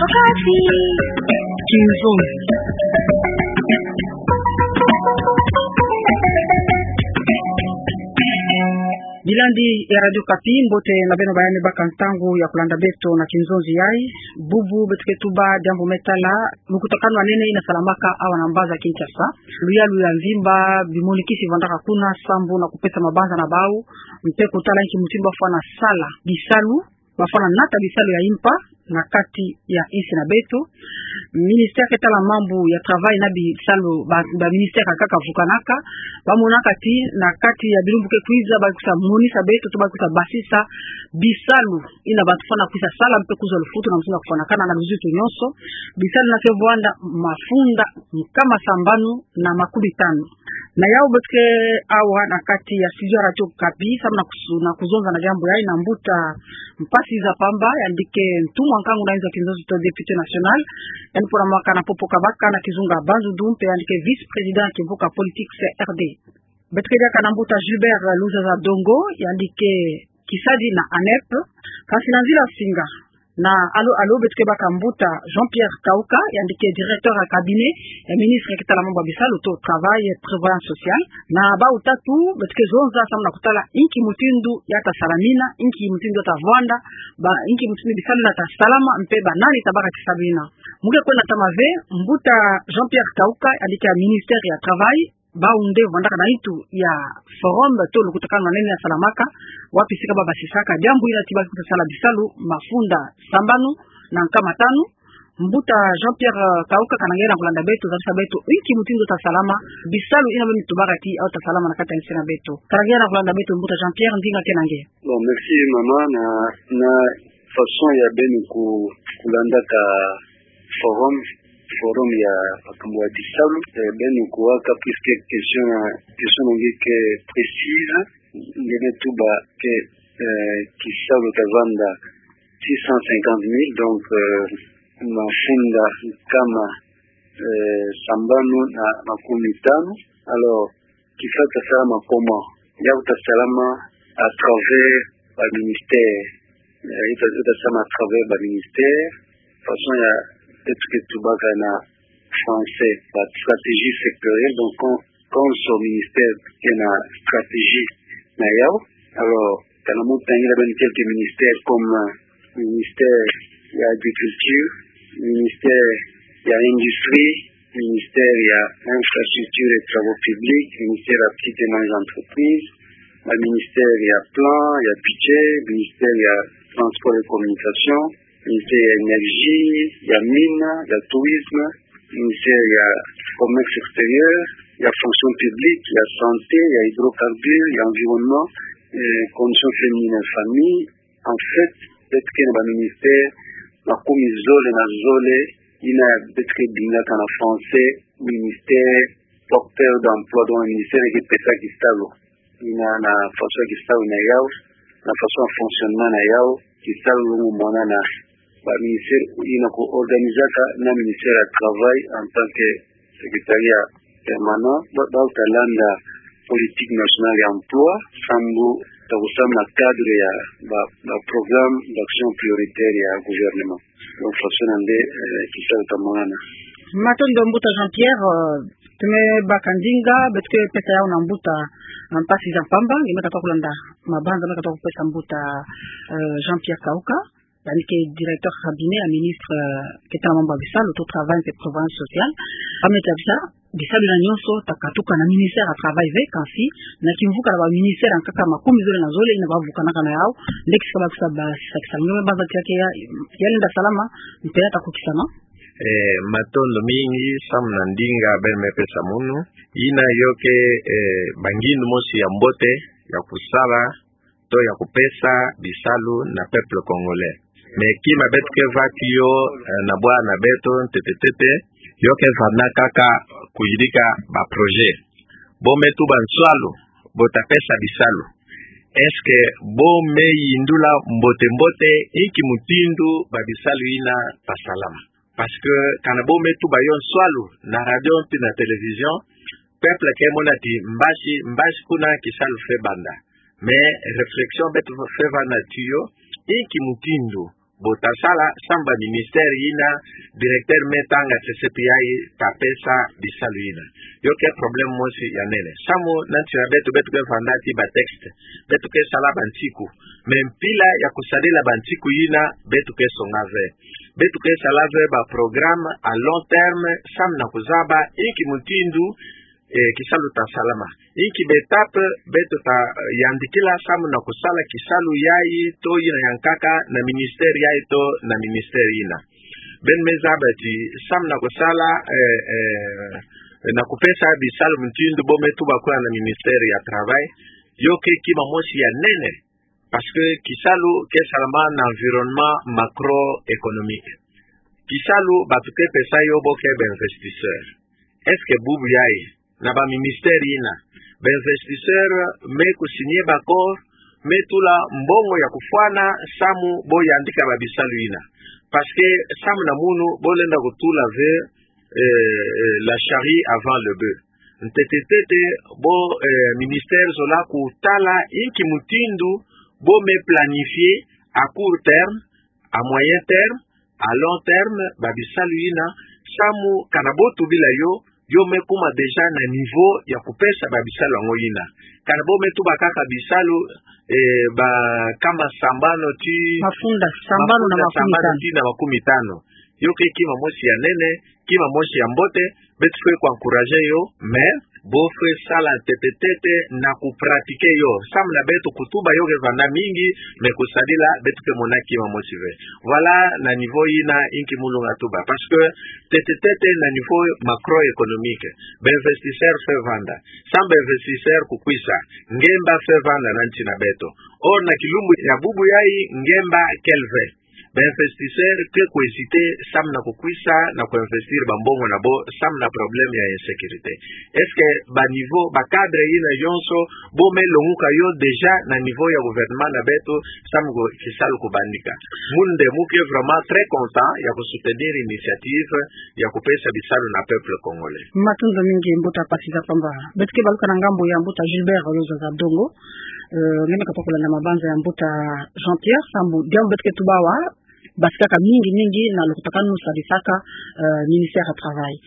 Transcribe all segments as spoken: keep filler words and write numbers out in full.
Okapi. Kinzonzi. Bilandi ya Radio Okapi, mbote na beno bayani baka ntangu ya kulanda beto na kinzonzi yayi. Bubu beto ke tuba diambu me tala lukutakanu ya nene ina salamaka awa na mbanza Kinshasa. Luyalu ya mvimba bimonikisi vandaka kuna sambu na kupesa mabanza na bau, mpe kutala inki mutindu bafwana sala bisalu, bafwana nata bisalu ya impa na kati ya insi na beto. Ministère ke tala mambu ya travail na bisalu, ba, ba ministère kaka vukanaka, bamonaka ti na kati ya bilumbu ke kwiza, bakusa monisa beto, to bakusa basisa bisalu ina bantu fwana kwisa sala mpe kuzwa lufutu na mutindu ya kufwanakana na luzitu nyonso. Bisalu ina ke vwanda mafunda nkama sambanu na makumi tanu. Na yawu beto ke awa na kati ya studio ya Radio Okapi, samu na kusu-, na kuzonza na diambu yayi na mbuta Mpasi Nzapamba, yandi ke ntumwa nkangu na inzo ya kinzonzi to député national, yandi pona mwaka na popo kabaka na kizunga Bandundu, mpe yandi ke vice-président ya kimvuka politique C R D. Beto ke diaka na mbuta Gilbert Luzaza Dongo, yandi ke kisadi na ANEP. Kasi na nzila singa na allô-allô, beto ke baka mbuta Jean-Pierre Kauka, yandi ke directeur ya cabinet ya ministre ke tala mambu ya bisalu to travail et prévoyance sociale. Na bau tatu beto ke zonza samu na kutala inki mutindu ya ta salamina, inki mutindu ya ta vwanda, ba inki mutindu bisalu ina ta salama, mpe banani tabaka kisalu ina. Mu ke kwenda ntama ve, mbuta Jean-Pierre Kauka, yandi ke ya ministère ya travail, bau nde vwandaka na nitu ya forum to lukutakanu ya nene ya salamaka, wapi sika babasisaka diambu ina ti bakwiza sala bisalu mafunda sambanu na nkama tanu. Mbuta Jean-Pierre, eh, Kauka, kana nge na kulanda beto, zabisa beto inki mutindu ta salama bisalu ina beno tubaka ti awu ta salama na kati ya insi na beto. Kana nge na kulanda beto, mbuta Jean-Pierre, ndinga ke na nge. Bon, merci mama. Na, na façon ya beno ku-, kulandaka forum, forum ya makambu ya bisalu, eh, beno kuwaka plus que question, question na nge ke précise, nge me tuba ke, eh, kisalu ta vanda six cent cinquante mille, donc, eh, mafunda nkama, eh, sambanu na makumi tanu. Alors, kisalu ta salama comment? Yawu ta salama à travers ba ministère. Eh, ita, ita salama à travers ba ministère. Façon ya beto ke tubaka na français, ba stratégie sectorielle. Donc, quand, quand son ministère ke na stratégie na yawu, alors, kana mo tangila beno quelques ministères comme, euh, ministère ya agriculture, ministère ya industrie, ministère ya infrastructure et travaux publics, ministère ya petites et moyennes entreprises, ba ministère ya plan, ya budget, ministère ya transport et communication, ministère ya énergie, ya mine, ya tourisme, ministère ya commerce extérieur, ya fonction publique, ya santé, ya hydrocarbures, ya environnement, eh, conditions féminines et famille. En fait, beto ke na ba ministère makumi zole na zole, ina beto ke bengaka na français ministère porteur d'emploi, donc ministère ke pesa kisalu. Ina na façon ya kisalu na yawu, na façon ya fonctionnement na yawu, kisalu lungu mona na ba ministère ina ko organisaka na ministère ya travail en tant que secrétariat permanent, ba, bau ta landa politique nationale ya emploi, sambu ta kusamu na cadre ya ba, ba programme d'action prioritaire ya gouvernement. Donc, façon nde, eh, kisalu ta monana. Matondo mbuta Jean-Pierre, eh, tume baka ndinga, beto ke pesa yawu na mbuta, eh, Mpasi Nzapamba, nge me katuka kulanda mabanza me katuka kupesa mbuta, eh, Jean-Pierre Kauka, yandi ke directeur cabinet ya ministre, eh, ke tala mambu ya bisalu to travail et prévoyance sociale. Ame tabisa, bisalu ina nyonso ta katuka na ministère ya travail ve, kasi na kimvuka na ba ministère ya nkaka makumi zole na zole ina bavukanaka na yawu, nde kisika bakwiza basisa kisalu. Nge me banza ti ya ke ya, ya lenda salama, mpe ya ta kukisama. Eh, matondo mingi, samu na ndinga beno me pesa munu. Ina yo ke, eh, ba ngindu mosi ya mbote, ya kusala, to ya kupesa bisalu na peuple congolais. Mais kima beto ke va tiyo, eh, na bwa na beto, ntete ntete, yo ke vanda kaka kuyidika ba projet. Bo me tuba nswalu, bo ta pesa bisalu. Est-ce que bo me yindula mbote mbote inki mutindu ba bisalu ina ta salama? Parce que kana bo me tuba yo nswalu na radio mpe na télévision, peuple ke mona ti mbasi, mbasi kuna kisalu fwe banda. Mais réflexion beto fwe vanda tiyo, inki mutindu Bo ta sala, samu ba ministère yina, directeur me tanga T C P I ta pesa bisalu yina. Yo ke problème mosi ya nene. Samu na nsi na beto, beto ke vanda ti ba texte, beto ke sala ba nsiku. Mais mpila ya kusadila ba nsiku yina, beto ke songa ve. Beto ke sala ve ba programme à long terme, samu na kuzaba inki mutindu, eh, kisalu ta salama. Inki ba étape beto ta, eh, yandikila samu na kusala kisalu yayi to yina yankaka na ministère yayi to na ministère yina. Beno me zaba ti samu na kusala, eh, eh, na kupesa bisalu mutindu bo me tuba kuna na ministère ya travail, yo ke kima mosi ya nene. Parce que kisalu ke salama na environnement macroéconomique. Kisalu bantu ke pesa yo bo ke ba investisseur. Est-ce que bubu yayi, na ba ministère yina, ba investisseur me kusigner ba accord, me tula mbongo ya kufwana, samu bo yandika ba bisalu yina? Parce que samu na munu, bo lenda kutula ve, eh, eh, la charrue avant le bœuf. Ntete ntete, bo, eh, ministère zola kutala inki mutindu bo me planifier à court terme, à moyen terme, à long terme, ba bisalu yina, samu kana bo tubila yo, yo me kuma déjà na niveau ya kupesa ba bisalu yango yina. Kana bo me tuba kaka bisalu, eh, ba kama sambanu ti, mafunda sambanu na mafunda makumi sambanu tanu ti na makumi tanu. Yo ke kima mosi ya nene, kima mosi ya mbote, beto fwe ku encourager yo, mais bo fwe sala ntete ntete na ku pratiquer yo. Samu na beto kutuba yo ke vanda mingi, mais kusadila beto ke mona kima mosi ve. Voilà, na niveau yina inki mulunga tuba. Parce que ntete ntete na niveau macroéconomique, ba investisseur fwe vanda. Samu ba investisseur kukwisa, ngemba fwe vanda na nsi na beto. Or na kilumbu ya bubu yayi, ngemba kele ve. Ba investisseur ke ku hésiter samu na kukwisa na ku investir ba mbongo na bo, samu na problème ya insécurité. Est-ce que ba niveau, ba cadre yina yonso, bo me longuka yo déjà na niveau ya gouvernement na beto, samu ku kisalu kubandika? Mu nde mu ke vraiment très content ya ku soutenir initiative ya kupesa bisalu na peuple congolais. Matondo mingi mbuta Pathy Zapamba. Beto ke baluka na ngambu ya mbuta Gilbert Luzaza Dongo. Eh, nge me katuka kulanda mabanza ya mbuta Jean-Pierre, samu diambu beto ke tuba awa, basikaka mingi mingi na lukutakanu sadisaka, eh, ministère ya travail.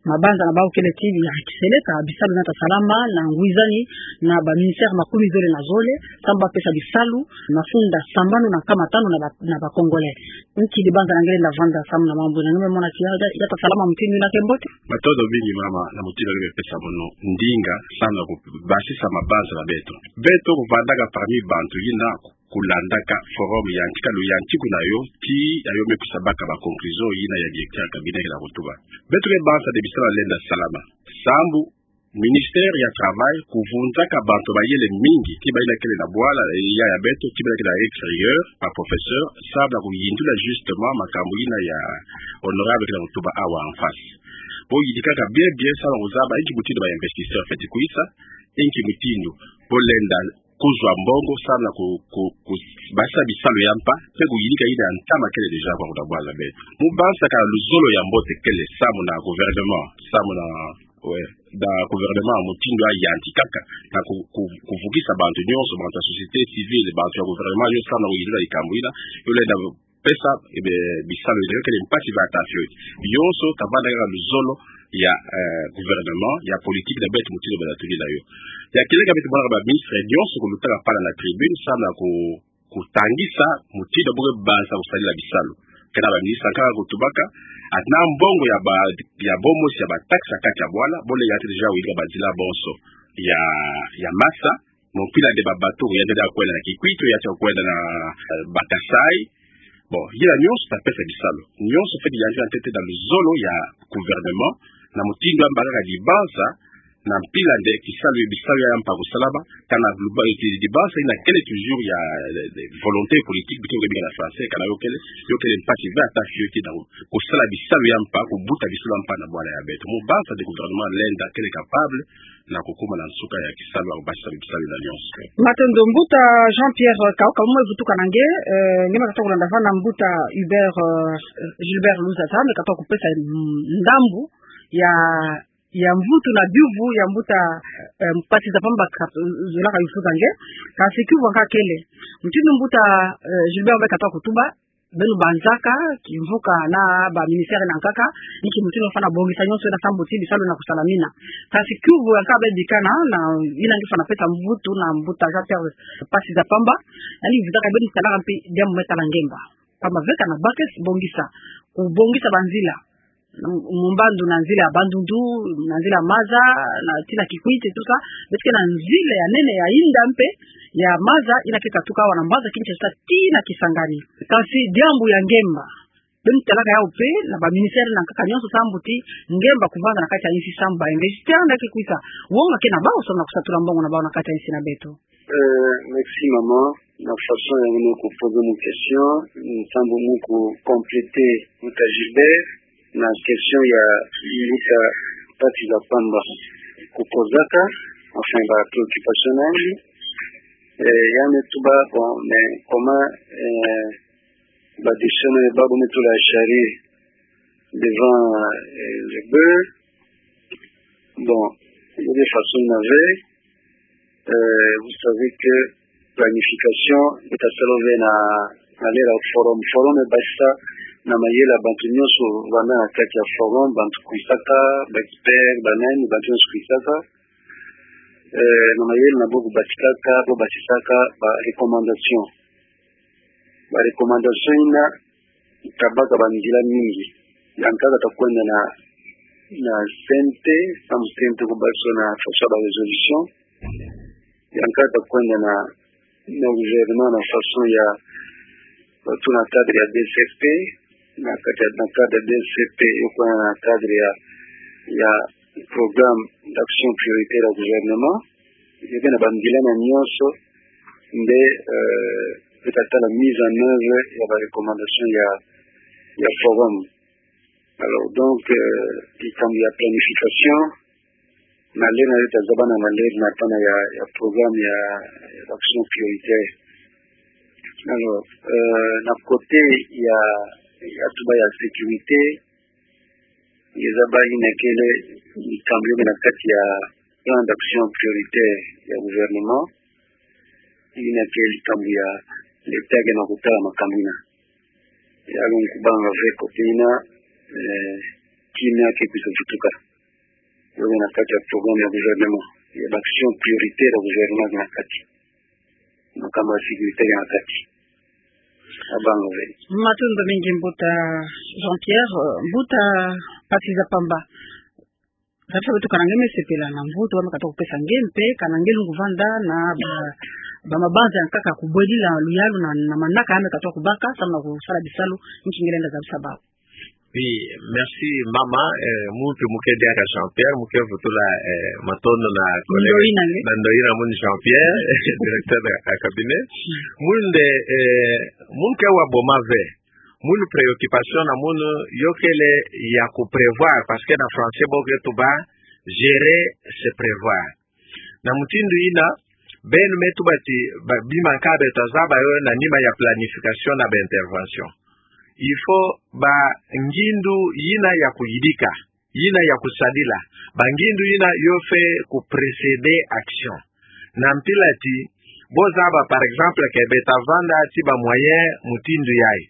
Mabanza na bawu kele ti ya kiseleka, bisalu na ta salama na ngwizani na ba ministère makumi zole na zole, samu ba pesa bisalu, mafunda sambanu na nkama tanu na ba, na ba Congolais. Nki dibanza na nge lenda vanda samu na mambu yina? Nge me mona ti ya, ya, ya ta salama mutindu yina ke mbote? Matondo mingi mama, na mutindu nge me pesa mono ndinga, samu na kubasisa mabanza na beto. Beto kuvandaka parmi bantu yina kulandaka forum ya ntika lu ya ntiku na yo, ti ya yo me kusa baka ba conclusion yina ya directeur ya cabinet kena kutuba. Beto ke banza nde bisalu lenda salama. Samu ministère ya travail kuvunzaka bantu mayele mingi, ti bayina kele na bwala, eh, ya, ya beto, ti bayina kele na extérieur, ba professeur, samu na kuyindula justement makambu yina ya honorable kena kutuba awa en face. Bo yidikaka bien bien, samu na kuzaba inki mutindu ba investisseur fweti kwisa, inki mutindu bo lenda kuzwa mbongo, samu na ku, ku, ku, basisa bisalu ya mpa, pe kuyinika yina ya ntama kele déjà kwa kuna bwala beto. Mu bansaka luzolo ya mbote kele samu na gouvernement, samu na, ouais, na gouvernement mutindu ya yantikaka na ku, ku, kuvukisa bantu nyonso, bantu ya société civile, bantu ya gouvernement nyonso, samu na kuyindula likambu yina, yo lenda pesa, eh be, bisalu yina, yo kele mpasi ve ata fioti. Yonso tavanda kaka luzolo ya, eh, gouvernement, ya politique na beto mutindu bana tuli na yo. Ya kieleka beto mona ba ministre nyonso kulutaka pala na tribune, samu na ku, kutangisa mutindu bo ke banza kusadila bisalu. Kena ba ministre kaka kutubaka, ata na mbongo ya ba, ya bo mosi ya ba taxe ya kati ya bwala, bo lenda déjà wuyirika banzila bonso ya, ya masa, Bon, mpila nde ba bateau, ya nde kwenda na Kikwit, ya nde kwenda na, eh, Bata-Kasaï. Bon, yina nyonso ta pesa bisalu. Nyonso fweti yantika ntete na luzolo ya gouvernement, na mutindu ya mbakaka dibanza, na mpila nde kisalu, bisalu ya mpa kusalama, kana luba, eh, dibanza yina kele toujours ya, eh, volonté politique, bito ke bika na français, kana yo kele, yo kele mpasi ve ata fioti na kusala bisalu ya mpa, kubuta bisalu ya mpa na bwala ya beto. Mu banza nde gouvernement lenda kele capable, na kukuma na nsuka ya kisalu ya kubasisa bisalu yina nyonso. Matondo mbuta Jean-Pierre Kaoka, mu me vutuka na nge, eh, nge me katuka kulanda vana mbuta Hubert, eh, Gilbert Luzaza, me katuka kupesa, mm, ndambu ya, ya mvutu na biyuvu ya mbuta, eh, Pathy Zapamba ka, zolaka yufuza nge. Kasi kiyuvu kaka kele. Mutindu mbuta, eh, Gilbert me katuka kutuba, beno banzaka kimvuka na ba ministère na nkaka, inki mutindu fwana bongisa nyonso ina sambu ti bisalu ina kusalamina. Kasi kiuvu ya nkaka beno bikana, na ina nge fwana pesa mvutu na mbuta Jean-Pierre Pasi za Pamba, nani vizaka beno talaka mpe diambu me tala ngemba. Pamba veka na bakes bongisa, kubongisa banzila, mu mbandu na nzila ya Bandundu, na nzila ya maza, na tina Kikwit, tout ça, beto ke na nzila ya nene ya inda mpe ya maza, ina ke katuka awa na mbanza Kinshasa tina Kisangani. Kasi diambu ya ngemba, beno talaka yawu mpe na ba ministère na nkaka nyonso sambu ti ngemba kuvanda na kati ya insi, sambu ba investisseur nda ke kwisa. Wonga ke na bawu samu na kusatula mbongo na bawu na kati ya insi na beto. Euh, merci maman. Na façon ya nge me kuposer mu question, sambu mu kucompléter mbuta Gilbert, na question ya mbuta Pasi za Pamba kupozaka, enfin, ba préoccupation na yandi. Euh, ya me tuba, bon, mais comment, euh, ba décision na babo me tula charrue devant, euh, le bœuf. Bon, il y a des façons de naver. Euh, vous savez que planification, beto tasala ve na, na lela forum. Forum ebasisa na mayela ya bantu nyonso vanda na kati ya forum, bantu kwisaka, ba expert, ba nani, bantu nyonso kwisaka. Euh, na mayela na bo kubatikaka, bo batisaka ba recommandation. Ba recommandation ina tabaka banzila mingi. Ya nkaka takwenda na, na C N T, samu C N T kubasisa na façon ba résolution. Ya nkaka takwenda na, na gouvernement na façon ya, surtout na cadre ya D C P, na cadre, na cadre ya D C P, yo kwenda na cadre ya, ya programme d'action prioritaire ya gouvernement. Yo ke na banzila na nyonso, nde, euh, beto tatala mise en œuvre ya ba recommandation ya, ya forum. Alors, donc, euh, likambo ya planification, na lela yo tazaba na lela na pana ya, ya programme ya, ya action prioritaire. Alors, euh, na côté ya, ya tuba ya sécurité, nge zaba ina kele likambo yo ke na kati ya plan d'action prioritaire ya gouvernement, ina kele likambo ya l'État ke na kutala makambu ina. Ya longo kubanga ve côté ina, eh, kimia ke kwiza vutuka. Yo ke na kati ya programme ya gouvernement, ya ba action prioritaire ya gouvernement ke na kati. Makambu ya sécurité ke na kati. Abanga ve. Matondo mingi mbuta Jean-Pierre, euh, mbuta Pasi za Pamba. Kati beto kana nge me sepela na mvutu wa me katuka kupesa nge mpe, kana nge lungu vanda na ba, ba mabanza ya nkaka kubwelila luyalu na, na manaka ya me katuka kubaka, samu na kusala bisalu, nki nge lenda zabisa bawu. Oui, merci mama, eh, mu mpe mu ke diaka Jean-Pierre, mu ke vutula, eh, matondo na collègue. Ndoyi na nge. Na ndoyi na munu Jean-Pierre, directeur ya cabinet. Mm. Munu nde, eh, mu ke wa boma ve. Munu préoccupation na munu yo kele ya ku prévoir, parce que na français bo ke tuba, gérer, c'est prévoir. Na mutindu ina, beno me tuba ti, ba, bima ka beto tazaba yo na nima ya planification na ba intervention. Il faut ba ngindu yina ya kuyidika, yina ya kusadila, ba ngindu yina yo fwete ku précéder action. Na mpila ti, bo zaba, par exemple, que beto tavanda ti ba moyen mutindu yayi.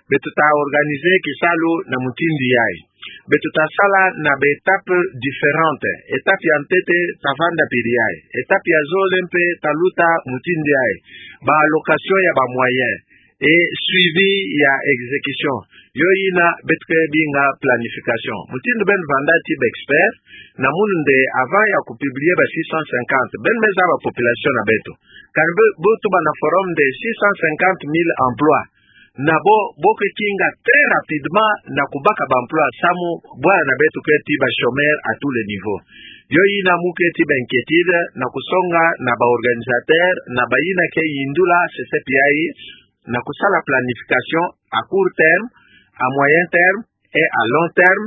Beto ta organiser kisalu na mutindu yayi. Beto tasala na ba étape différente. Étape ya ntete tavanda mpila yayi. Étape ya zole mpe taluta mutindu yayi. Ba allocation ya ba moyen. Et suivi ya exécution. Yo yina beto ke binga planification. Mutindu beno vanda ti ba expert, na munu nde avant ya ku publier ba six cent cinquante, beno me zaba population na beto. Kani bo, bo tuba na forum nde six cent cinquante mille emplois. Na bo, bo ke kinga très rapidement na kubaka ba emploi samu bwala na beto ke ti ba chômeurs à tous les niveaux. Yo yina mu ke ti ba inquiétude na kusonga na ba organisateur, na ba yina ke yindula C C P I, na kusala planification à court terme, à moyen terme et à long terme,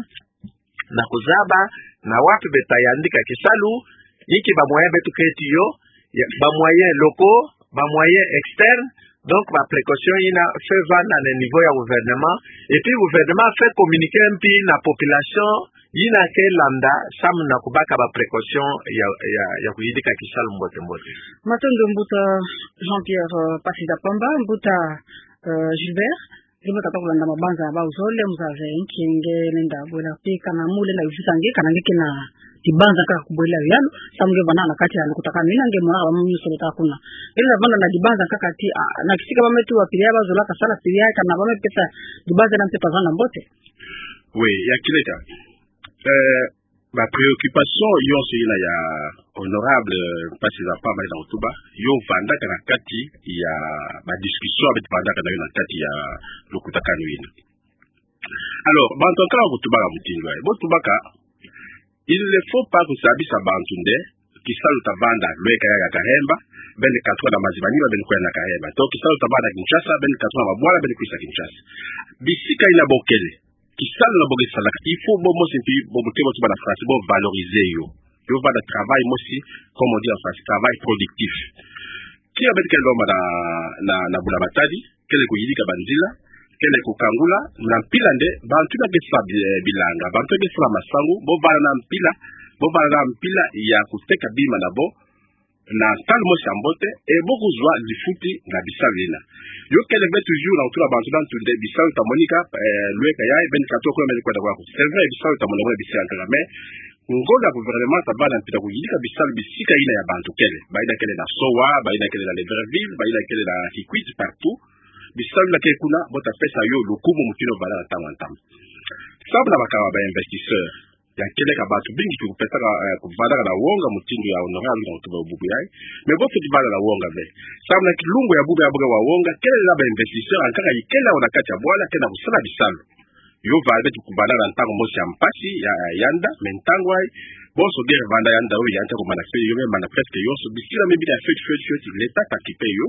na kuzaba na wapi beto tayandika kisalu, inki ba moyen beto ke ti yo, ya, ba moyen locaux, ba moyen externe. Donc ba précaution yina fwete vanda na niveau ya gouvernement, et puis gouvernement fwete communiquer mpi na population yina ke landa samu na kubaka ba précaution ya, ya, ya kuyidika kisalu mbote mbote. Matondo mbuta Jean-Pierre, euh, Pasi za Pamba, mbuta, euh, Gilbert. Ngirika tata kulanda mabanza ya bau zole, mzee, nki nge lenda bwela pe kana mu lenda yuvisa nge, kana nge kena dibanza kaka kubwela yalo, samu nge vana na kati ya lukutakanu ina, nge mwa abamu nyuso leta kuna. Nge lenda vanda na dibanza kaka ti, ah, na kisika ba me tu wa pili ya ba zola kasala pili ya, kana ba me pesa dibanza na mpe tavanda mbote. Oui, ya kileka. Eh, ba préoccupation yonso ina ya honorable, eh, Mpasi Zapa mai na kutuba, yo vandaka na kati ya ba discussion beto vandaka na yo na kati ya lukutakanu ina. Alors, bantu ya nkaka kutubaka mutindu yayi. Bo tubaka, il ne faut pas kusabisa bantu nde, kisalu tavanda, lweka yayi ya Kahemba, beno katuka na maziba nima, beno kwenda na Kahemba. To kisalu tavanda Kinshasa, beno katuka na mabwala, beno kwisa Kinshasa. Bisika ina bo kele, kisalu na bo ke salaka, il faut bo mosi mpi, bo mutemo ti ba na France, bo valoriser yo. Yo vanda travail mosi, comme on dit en français, travail productif. Kia beto ke lomba na, na, na bula matadi, kele kuyidika banzila, kele kukangula, na mpila nde, bantu na ke sa bi-, eh, bilanga, bantu na ke sa masangu, bo vanda na mpila, bo vanda na mpila ya kuteka bima na bo, na ntalu mosi ya mbote, e bo kuzwa lifuti na bisalu ina. Yo kele ve toujours na kutula bantu na ntu nde bisalu tamonika, eh, lweka yayi, beno katuka kuna, beno kwenda kuna. C'est vrai, bisalu tamonika, bisi ya nkaka, mais ngolo ya gouvernement tavanda mpi na kuyidika bisalu bisika ina ya bantu kele. Ba ina kele na Soa, ba ina kele na Libreville, ba ina kele na Kikwit, partout. Bisalu na ke kuna, bo ta pesa yo lukumu mutindu vanda na ntangu ya ntama. Samu na bakaka ba investisseur, ya kele ka bantu bingi ki kupesaka, eh, kuvandaka na wonga mutindu ya honorable na kutuba bubu yayi. Mais bo fweti vanda na wonga ve. Samu na kilungu ya bubu ya bo ke wa wonga, kele na ba investisseur ya nkaka ikele na kati ya bwala, kele na kusala bisalu. Yo vanda, beto kuvanda na ntangu mosi ya mpasi, ya, ya nda, mais ntangu yayi, bonso guerre vanda ya nda, yo ya nta kumana fe, yo me mana presque yonso, bisika me bina fweti, fweti, fweti, l'État ta kipe yo,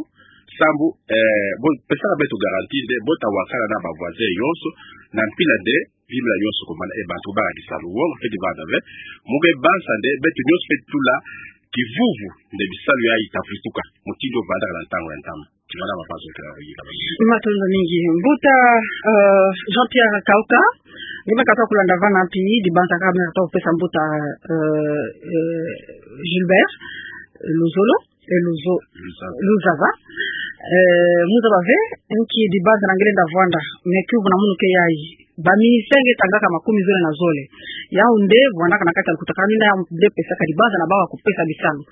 samu, eh, bo pesaka beto garantie nde, bo ta wakana na ba voisin yonso, na mpila nde, bima yonso kumana, e bantu ba kisalu, wonga fweti vanda ve, mu ke banza nde, beto nyonso fweti tula kivuvu, nde bisalu yayi ta vutuka, mutindu vandaka na ntangu ya ntama. Matondo mingi. Mbuta, euh, Jean-Pierre Kauka, nge me katuka kulanda vana mpi dibanza kaka me katuka kupesa mbuta, euh, euh, Gilbert Luzolo, eh, Luzo-, Luzava. Luzava. Euh, mu zaba ve, nki dibanza na nge lenda vwanda, me kiuvu na munu ke yayi. Ba ministère nge tangaka makumi zole na zole. Yau nde, vwandaka na kati ya lukutakanu ina, yau nde pesaka dibanza na bau ya kupesa bisalu.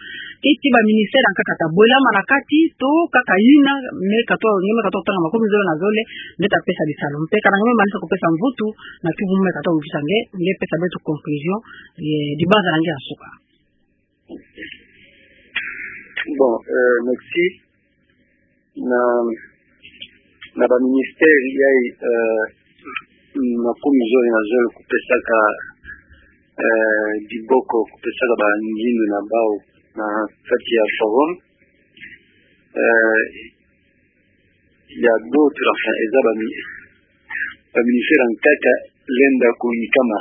Keti ba ministère ya nkaka ta bwelama na kati, to kaka ina, me katuka, nge me katuka tanga makumi zole na zole, nde ta pesa bisalu. Mpe kana nge me manisa kupesa mvutu, na kiuvu me katuka mvisa nge, nge pesa beto conclusion, eh, dibanza na nge ya nsuka. Bon, euh, merci. Na, na ba ministère yayi, euh, makumi zole na zole kupesaka, euh, diboko, kupesaka ba ngindu na bau na kati ya forum. Euh, il y a d'autres, enfin, eza ba mi-, ba ministère ya nkaka lenda kuyikama.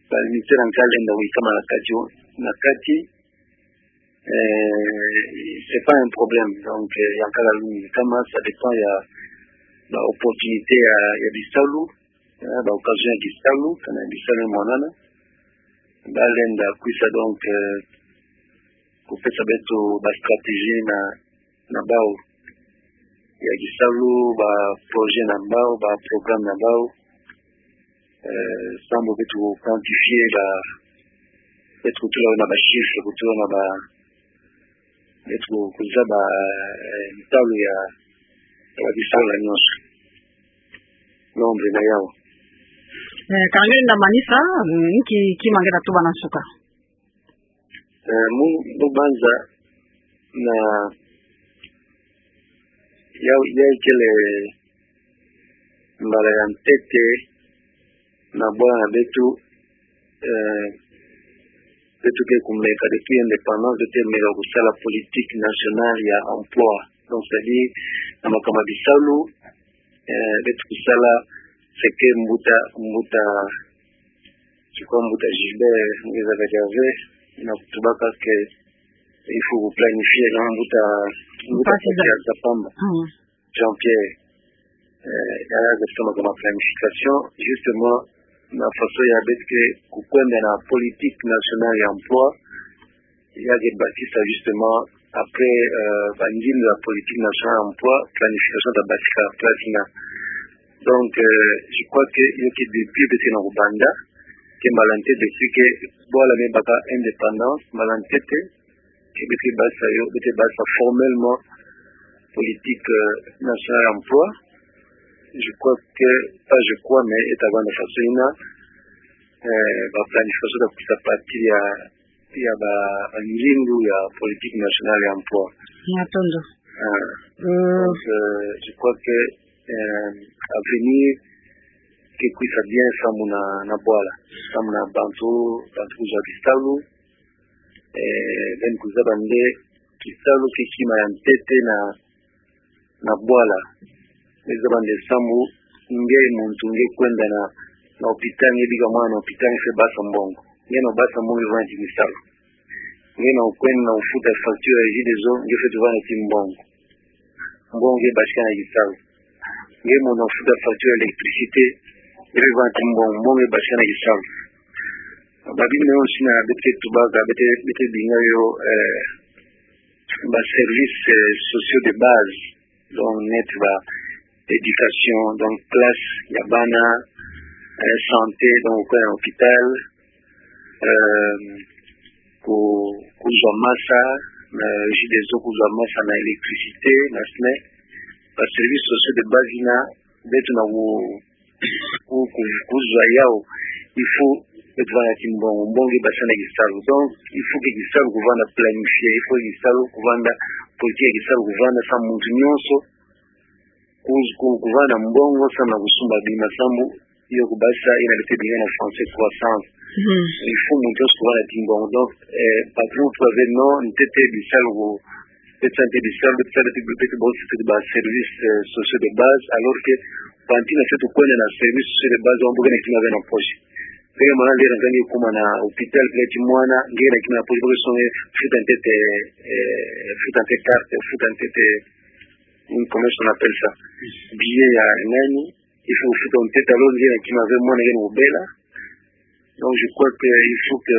Ba ministère ya nkaka lenda kuyikama na kati, na kati, euh, c'est pas un problème. Donc, euh, ya nkaka lenda kuyikama, ça dépend ya ba opportunité ya, ya bisalu, euh, ba occasion ya bisalu, kana bisalu mwanana. Ba lenda kwisa donc, euh, kupesa beto ba stratégie na, na bau ya bisalu, ba projet na bau, ba programme na bau. Euh, samu beto quantifier ba, beto kutula na ba chiffre, kutula na ba, beto kuzaba, euh, ntalu ya, ya bisalu nyonso. Nombre na yau. Eh, ka nge lenda manisa, mm, nki, nki kima nge ta tuba na nsuka. Eh, mu, mu banza na ya, ya ikele mbala ya ntete na bwala na beto, eh, beto ke kumeka depuis indépendance, beto ke meka kusala politique nationale ya emploi. Donc, c'est-à-dire, na makambo ya bisalu, eh, beto kusala, c'est que mbuta, mbuta, c'est quoi, mbuta Gilbert Ngeza Kadiave, na kutubaka que il faut planifier, na mbuta, mbuta Mpasi Za- Mpasi Zapamba, mm, Jean-Pierre, eh, ya, ya kusema kama planification, justement, na façon ya beto ke kukwenda na politique nationale ya emploi, ya ke bakisa justement, après, euh, ba ngindu ya politique nationale ya emploi, planification ta bakisa place ina. Donc, euh, je crois que yo ke depuis beto ke na kobanda, ke mbala ntete beto ke bwala me baka indépendance, mbala ntete ke beto ke basa yo, beto ke basa formellement politique, euh, nationale emploi. Je crois que, pas je crois, mais eta vanda façon ina, euh, ba planification ta kusa partir ya, ya ba, ba ngindu ya politique nationale ya emploi. Matondo. Ah. Euh, donc, euh, je crois que, euh, avenir ke kusa bien samu na, na bwala, samu na bantu, bantu kuzwa kisalu, eh, beno kuzaba nde kisalu ke kima ya ntete na, na bwala. Beno zaba nde samu nge muntu nge kwenda na, na hôpital, nge bika mwana na hôpital, nge fwete basa mbongo. Nge na basa mbongo, nge vwani ti kisalu. Nge na kwenda na kufuta facture ya Regideso, nge fwete vwani ti mbongo. Mbongo nge batika na kisalu. Nge mona kufuta facture ya électricité, nge fwete vwani ti mbongo, mbongo nge batika na kisalu. Ba bima yo sina beto ke tubaka, beto, beto binga yo, eh, ba services, euh, sociaux de base. Donc, neti ba éducation, donc classe ya bana, euh, santé, donc kwenda na hôpital, euh, ku, kuzwa masa, na Regideso kuzwa masa, na électricité, na sne, ba services sociaux de base ina, beto na ku, ku, ku, kuzwa yau, il faut beto vwani ti mbongo, mbongo nge batika na kisalu. Donc, il faut que kisalu kuvanda planifié, il faut kisalu kuvanda politique ya kisalu kuvanda samu muntu nyonso ku, ku, kuvanda mbongo samu na kusumba bima, samu yo kubasa ina beto ke binga na français croissance. Mhm. Il faut muntu nyonso kuvanda ti mbongo. Donc, euh, par exemple, tu avais non, ntete bisalu ku, beto sa ntete bisalu, beto sa ntete, beto, beto bosi ntete ba services, euh, sociaux de base, alors que bantu na fwete kwenda na services sociaux de base, wambu ke na kima ve na poche. Peke mwana lera nge kuma na hôpital, peke ti mwana, nge na kima na poche, peke songe futa ntete, eh, futa ntete carte, futa ntete, comment on appelle ça? Billet ya nani? Il faut futa ntete, alors nge na kima ve mwana nge na kubela. Donc, je crois que il faut que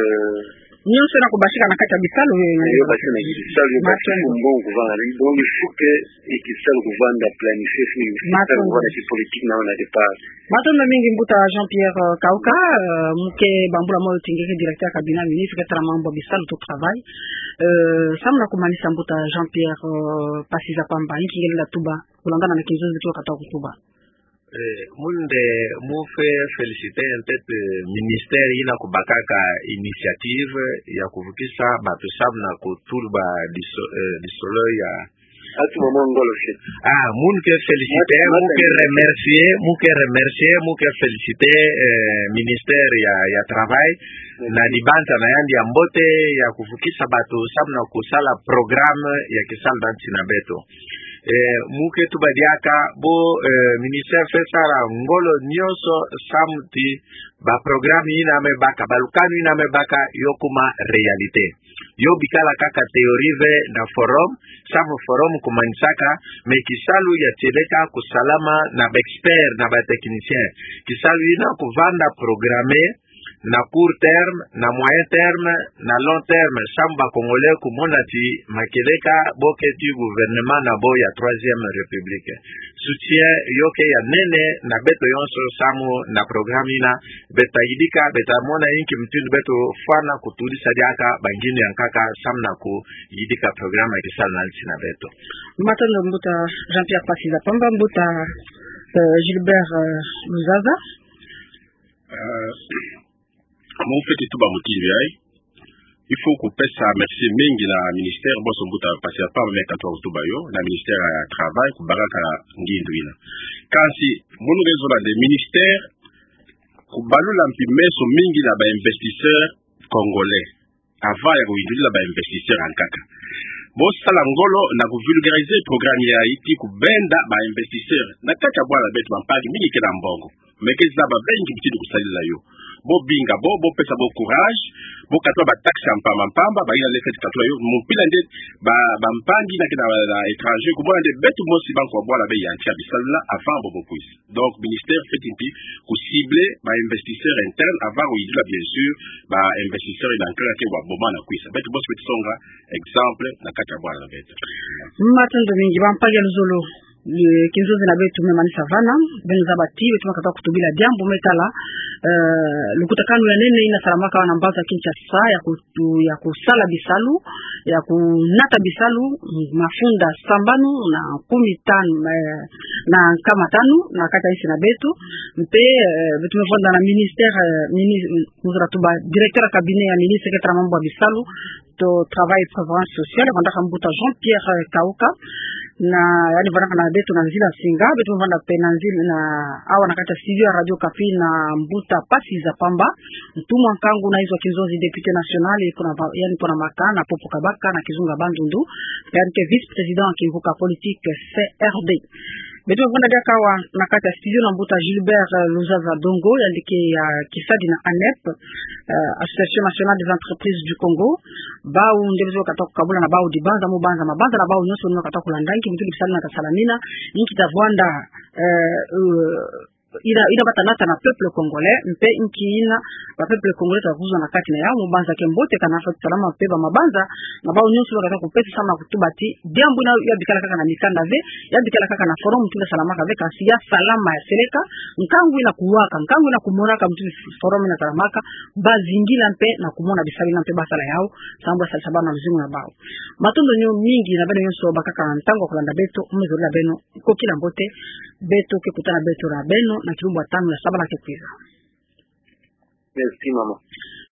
nyonso na kubatika na kati ya bisalu, eh, yo batika na bisalu, yo batika mbongo kuvanda. Donc, il faut que, eh, kisalu kuvanda planifié, il faut que kisalu kuvanda ti politique na, na départ. Matondo mingi mbuta Jean-Pierre, euh, Kauka, euh, mu ke bambula moyo ti nge ke directeur cabinet ministre ke tala mambu ya bisalu to travail. Euh, samu na kumanisa mbuta Jean-Pierre, euh, Pasiza Pamba, inki nge lenda tuba, kulingana na kinzonzi kio kata kutuba. Eh, mu nde mu fwe féliciter ntete ministère ina kubakaka initiative ya kuvukisa bato samu na kutula ba diso-, eh, disolo ya. Atu mama ngolo se. Ah, mu ke féliciter, mu ke remercier, mu ke remercier, mu ke féliciter, eh, ministère ya, ya travail, na dibanza na yandi ya mbote ya kuvukisa bato samu na kusala programme ya kisalu na nsi na beto. Eh, mu ke tuba diaka bo, eh, ministère fwe sala ngolo nyonso samu ti ba programme ina me baka, ba lukanu ina me baka, yo kuma réalité. Yo bikala kaka théorie ve na forum, samu forum kumanisaka, mais kisalu ya tieleka kusalama na ba experts, na ba techniciens. Kisalu ina kuvanda programmé, na court terme, na moyen terme, na long terme, samu ba Congolais kumona ti makieleka bo ke ti gouvernement na bo ya Troisième République. Soutien yo ke ya nene na beto nyonso samu na programme ina, beto ta yidika, beto ta mona inki mutindu beto fwana kutudisa diaka ba ngindu ya nkaka samu na kuyidika programme ya kisalu na nsi na beto. Matondo mbuta Jean-Pierre Pasiza Pamba, mbuta, euh, Gilbert, euh, Luzaza. Euh, mu fweti tuba mutindu yayi. Il faut kupesa merci mingi na ministère, bonso mbuta Pasiza Pamba me katuba kutuba yo, na ministère ya travail, kubakaka ngindu ina. Kansi, munu nge zola nde ministère, kubalula mpi meso mingi na ba investisseurs congolais. Avant ya kuyindulila ba investisseurs ya nkaka. Bo sala ngolo na kuvulgariser programme yayi ti kubenda ba investisseurs. Na kati ya bwala beto bampangi mingi ke na mbongo. Mais ke zaba ve inki mutindu kusalila yo. Bo binga bo, bo pesa bo courage, bo katula ba taxe ya mpamba mpamba, ba ina lese ti katula yo, mu mpila nde ba, bampangi na ke na, na étranger, kumona nde beto mosi banco ya bwala be yantika bisalu na avant bo bo kwisa. Donc, ministère fweti mpi kucibler ba investisseurs internes avant kuyindula, bien sûr, ba investisseurs ya nkaka ke wa boma na kwisa. Beto mosi fweti songa exemple na kati ya bwala beto. Matondo mingi, bampangi ya luzolo. Kinzonzi na beto me Mani Savana, beno zaba ti beto ma katuka kutubila diambu me tala, eh, lukutakanu ya nene ina salamaka awa na mbanza Kinshasa, ya ku- tu- ya kusala bisalu, ya kunata bisalu, mafunda sambanu na kumi tanu, eh, na nkama tanu, na kati ya insi na beto, mpe, eh, beto me vwanda na ministère, eh, mini- nzololo tuba directeur ya cabinet ya ministre ke tala mambu ya bisalu, to travail et prévoyance sociale, vandaka mbuta Jean-Pierre, eh, Kauka, na, yaani vandaka na beto na nzila nsinga, beto me vwanda mpe na nzila na, awa na kati ya studio ya Radio Okapi na mbuta Pasiza Pamba, ntumwa nkangu na inzo ya kinzonzi, député national, pona ba- yaani pona maka na popo kabaka na kizunga Bandundu, yaani ke vice-président ya kinguka politique C R D. Beto me vwanda diaka awa na kati ya studio na mbuta Gilbert, eh, Luzaza Dongo, yaani ke, eh, kisadi na ANEP, eh, Association Nationale des Entreprises du Congo. Bau nde beto katuka kukabula na bau dibanza, mu banza mabanza na bau nyonso nde katuka kulanda nki mutindu bisalu na tasalamina, nki tavwanda, eh, eh, ina, ina bata nata na peuple congolais, mpe nki ina ba peuple congolais ta kuzwa na kati na yau, mu banza ke mbote kana fweti salama mpe ba mabanza na bau nyonso nde katuka kupesa samu na kutuba ti diambu ina ya bikala kaka na mikanda ve, ya bikala kaka na forum mutindu salamaka ve, kasi ya salama ya seleka, nkangu ina kuwaka, nkangu ina kumonaka mutindu forum ina salamaka, bazingila mpe na kumona bisalu ina mpe basala yau, samu ba salisa bau na luzingu na bau. Matondo nyo mingi na beno nyonso bakaka ntangu ya kulanda beto, mu me zolila beno, kokila mbote, beto ke kutana beto na beno na kilumbu ya tanu ya sabala ke kwiza. Merci, maman.